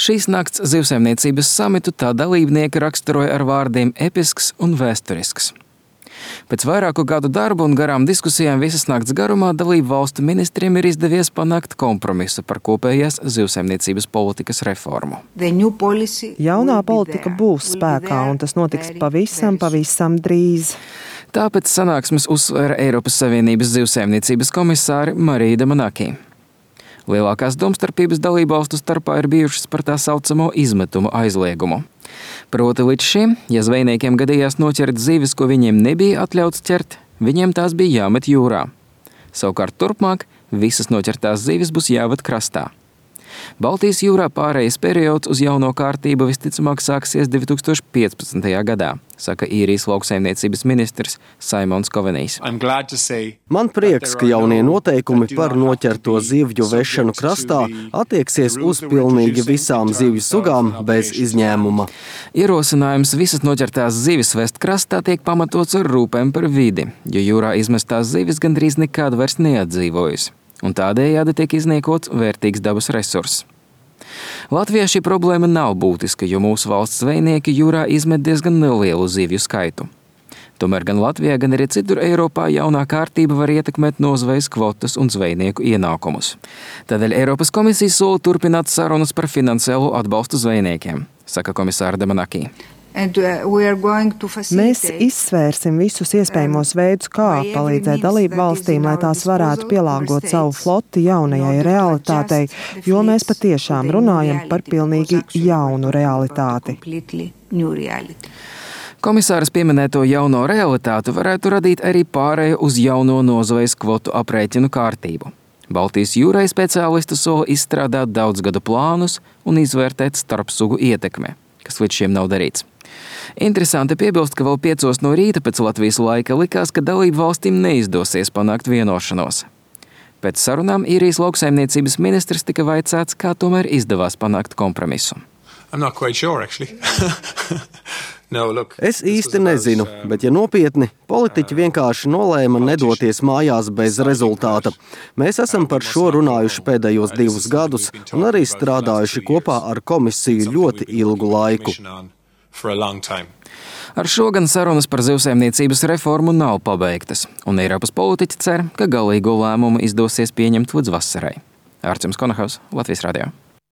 Šīs nakts zivsaimniecības samitu tā dalībnieki raksturoja ar vārdiem episks un vēsturisks. Pēc vairāku gadu darbu un garām diskusijām visas nakts garumā dalību valstu ministriem ir izdevies panākt kompromisu par kopējās zivsaimniecības politikas reformu. Jaunā politika būs spēkā, un tas notiks pavisam drīz. Tāpēc sanāksmes uzsvēra Eiropas Savienības zivsaimniecības komisāri Marija Damanaki. Lielākās domstarpības dalībvalstu starpā ir bijušas par tā saucamo izmetumu aizliegumu. Proti līdz šim, ja zvejniekiem gadījās noķert zivis, ko viņiem nebija atļauts ķert, viņiem tās bija jāmet jūrā. Savukārt turpmāk visas noķertās zivis būs jāved krastā. Baltijas jūrā pārējais periods uz jauno kārtību visticamāk sāksies 2015. gadā, saka Īrijas lauksaimniecības ministrs Simons Kovenijs. Man prieks, ka jaunie noteikumi par noķerto zivju vešanu krastā attieksies uz pilnīgi visām zivju sugām bez izņēmuma. Ierosinājums visas noķertās zivis vest krastā tiek pamatots ar rūpēm par vidi, jo jūrā izmestās zivis gandrīz nekad vairs neatdzīvojas. Un tādējādi tiek izniekots vērtīgs dabas resurss. Latvijā šī problēma nav būtiska, jo mūsu valsts zvejnieki jūrā izmet diezgan nelielu zivju skaitu. Tomēr gan Latvijā, gan arī citur Eiropā jaunā kārtība var ietekmēt nozvejas kvotas un zvejnieku ienākumus. Tādēļ Eiropas komisija sola turpināt sarunas par finansiālo atbalstu zvejniekiem, saka komisāra Damanaki. Mēs izsvērsim visus iespējamos veidus, kā palīdzēt dalību valstīm, lai tās varētu pielāgot savu floti jaunajai realitātei, jo mēs patiešām runājam par pilnīgi jaunu realitāti. Komisāras pieminēto jauno realitāti varētu radīt arī pārēju uz jauno nozvejas kvotu aprēķinu kārtību. Baltijas jūrai speciālisti sola izstrādāt daudzgadu plānus un izvērtēt starpsugu ietekmi, kas līdz šim nav darīts. Interesanti piebilst, ka vēl 5 no rīta pēc Latvijas laika likās, ka dalību valstīm neizdosies panākt vienošanos. Pēc sarunām Īrijas lauksaimniecības ministrs tika vaicāts, kā tomēr izdevās panākt kompromisu. Es īsti nezinu, bet ja nopietni, politiķi vienkārši nolēma nedoties mājās bez rezultāta. Mēs esam par šo runājuši pēdējos 2 gadus un arī strādājuši kopā ar komisiju ļoti ilgu laiku. Ar šo gan sarunas par zivsaimniecības reformu nav pabeigtas, un Eiropas politiķi cer, ka galīgo lēmumu izdosies pieņemt līdz vasarai. Ārķems Konahaus, Latvijas radio.